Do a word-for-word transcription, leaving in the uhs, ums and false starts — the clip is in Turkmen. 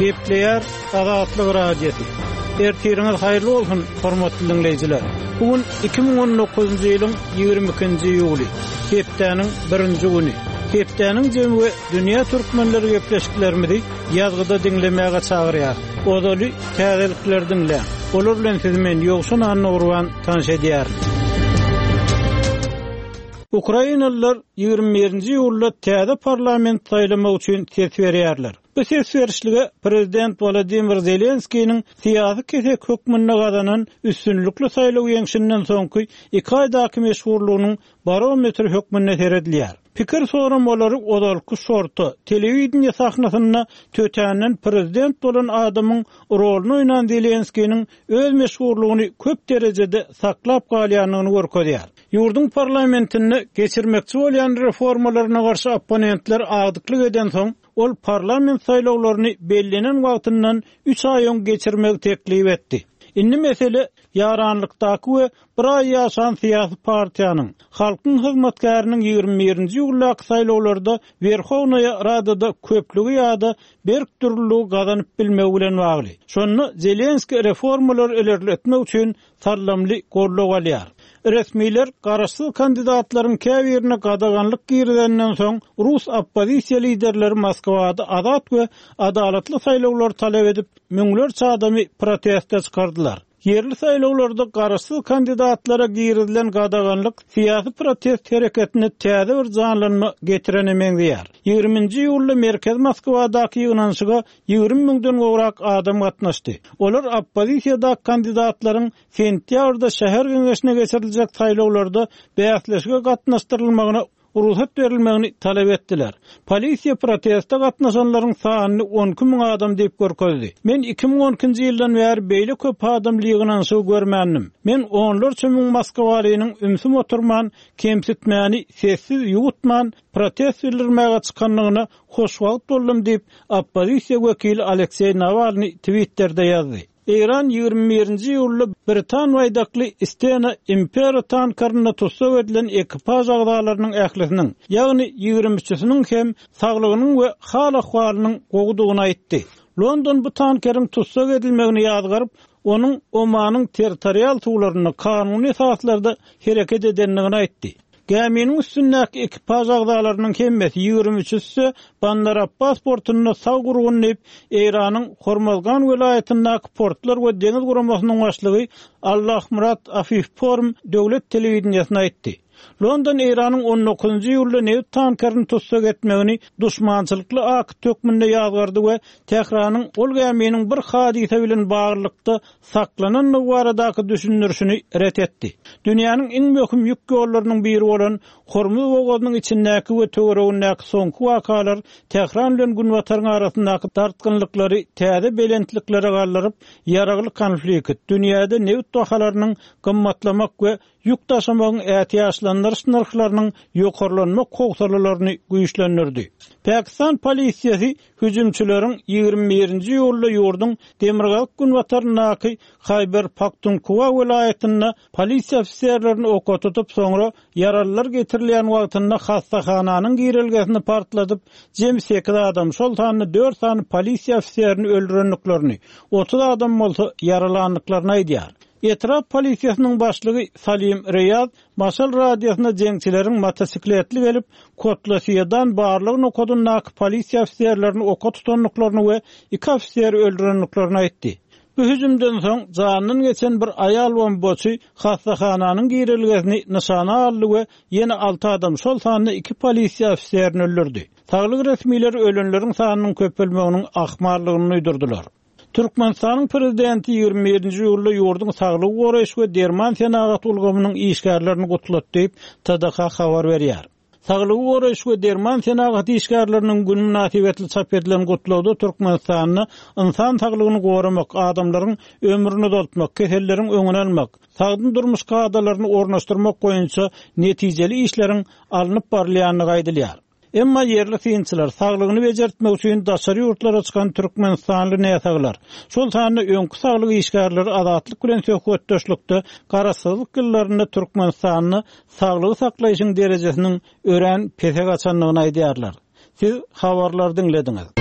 Gepleýär Azatlyk Radiosy. Ertiriňiz haýyrly bolsun, hormatly dinleýjiler. Bu gün iki müň on dokuzynjy ýylyň ýigrimi ikinji iýuly, hepdäniň birinji güni. Hepdäniň jemi we dünýä türkmenleri gepleşiklerimizi ýazgyda diňlemäge çagyrýar. Ozaly täzelikler diňle. Olar bilen sizi men Ýowşan Annagurban tanyş edýärin. Ukrainalylar ýigrimi birinji iýulda täze parlament saýlamak üçin ses berýärler. Bu ses berişlige Prezident Wladimir Zelenskiniň syýasy kesek hökmünde gazanan üstünlikli saýlaw ýeňşinden soňky iki aýdaky meşhurlygynyň barometri hökmünde seredilýär. Pikir soramalary ozalky şorta, telewideniýe sahnasynda tötänden prezident bolan adamyň roluny oýnan Zelenskiniň öz meşhurlygyny köp derejede saklap galýandygyny görkezýär. Ýurduň parlamentinde geçirmekçi bolýan reformalaryna garşy opponentler agdyklyk eden soň, ol parlament saýlawlaryny bellenen wagtyndan üç aý öň geçirmegi teklip etdi. Indi mesele ýaranlykdaky we bir aý ýaşan syýasy partiýanyň halkyň hyzmatkäriniň ýigrimi birinji iýuldaky saýlawlarda Werhownaýa Radada köplügi ýa-da berk durullygy gazanyp bilmegi bilen bagly. Şonda Zelenski reformalary ilerletmek üçin sallamly goldaw alýar. Resmiler garaşsyz kandidatlaryň käbirine gadaganlyk girizenden soň Rus oppozisiýa liderleri Moskwada azat we adalatly saýlawlar talap edip, müňlerçe adamy proteste çykardylar. Ýerli saýlawlarda garaşsyz kandidatlara girizilen gadaganlyk syýasy protest hereketine täze bir janlanma getirene meňzeýär. Ýigriminji iýulda Merkez Moskwadaky ýygnanyşyga ýigrimi müňden gowrak adam gatnaşdy. Olar oppozisiýadaky kandidatlaryň sentýabrda şäher geňeşine geçiriljek saýlawlarda bäsleşige gatnaşdyrylmagyna ruhsat berilmegini talap etdiler. Polisiýa proteste gatnaşanlaryň sanyny on iki müň adam diýip görkezdi. Men iki müň on ikinji ýyldan bäri beýle köp adamly ýygnanyşygy görmändim. Men onlarça müň Moskwalynyň ümsüm oturman, kemsitmäni sessiz ýuwutman protest bildirmäge çykandygyna hoşwagt boldum diýip, oppozisiýa wekili Alekseý Nawalny Twitterде ýazdy. Eýran ýigrimi birinji iýulda Britan baýdakly Stena Impera tankerinde tussag edilen ekipaž agzalarynyň ählisiniň, ýagny ýigrimi üçüsiniň hem saglygynyň we hal-ahwalynyň gowudygyny aýtdy. London bu tankeriň tussag edilmegini ýazgaryp, onuň Omanyň territorial suwlarynda kanuny esaslarda hereket edendigini aýtdy. Gäminiň üstündäki ekipaž agzalarynyň hemmesi ýigrimi üçüsi Bandar Abbas portunda sag gurgun diýip, Eýranyň Hormozgan welaýatyndaky portlar we deňiz guramasynyň başlygy Allahmurat Afifporm döwlet telewideniýesine aýtdy. London Eýranyň on dokuzynjy iýulda nebit tankerini tussag etmegini duşmançylykly akt hökmünde ýazgardy we Tähranyň ol gäminiň bir hadysa bilen baglylykda saklanandygy baradaky düşündirişini ret etdi. Dünýäniň iň möhüm ýük ýollarynyň biri bolan Hormuz bogazynyň içindäki we töweregindäki soňky wakalar Tähran bilen Günbataryň arasyndaky dartgynlyklary täze belentliklere galdyryp, ýaragly konflikt, dünýäde nebit bahalarynyň gymmatlamak we ýük daşamagyň ätiýaçlandyryş nyrhlarynyň ýokarlanmak howsalalaryny güýçlendirdi. Pakistan polisiýasy hüjümçileriň ýigrimi birinji iýulda ýurduň Demirgazyk Günbataryndaky Haýber Pakhtunkhwa welaýatynda polisiýa ofiserlerini oka tutup, soňra ýaralylar getirilýän wagtynda hastahananyň girelgesini partladyp, jemi sekiz adam, şol sanda dört sany polisiýa ofiserini öldürendiklerini, otuz adam bolsa ýaralandyklaryny aýdýar. Etrap polisiýasynyň başlygy Salim Reýaz Maşal radiosyna jeňçileriň motosikletli gelip, Kotlasiýadan barlyk nokadyndaky polisiýa ofiserlerini oka tutandyklaryny we iki ofiseri öldürendiklerini aýtdy. Bu hüjümden soň jandan geçen bir aýal bombaçy hastahananyň girelgesini nyşana aldy we ýene alty adam, şol sanda iki polisiýa ofiserini öldürdi. Saglyk resmileri ölenleriň sanynyň köpelmeginiň ahmallygyny duýdurdylar. Türkmenistanyň prezidenti ýigrimi birinji iýulda ýurduň saglygy goraýyş we derman senagat ulgamynyň işgärlerini gutlatdy diýip, T D K habar berýär. Saglygy goraýyş we derman senagat işgärleriniň gün mynasybetli çap edilen gutlagda Türkmenistanda insan saglygyny goramak, adamlaryň ömrüni uzaltmak, keselleriň öňüni almak, sagdyn durmuş kadalaryny ornaşdyrmak boýunça netijeli işleriň alnyp barylýandygy aýdylýar. Emma ýerli synçylar saglygyny bejertmek üçin daşary ýurtlara çykan Türkmenistanly näsaglar, şol sanda öňki saglyk işgärleri azatlyk bilen söhbetdeşlikde garaşsyzlyk ýyllarynda Türkmenistanda saglygy saklaýşyň derejesiniň örän pese gaçandygyny aýdýarlar. Siz habarlar diňlediňiz.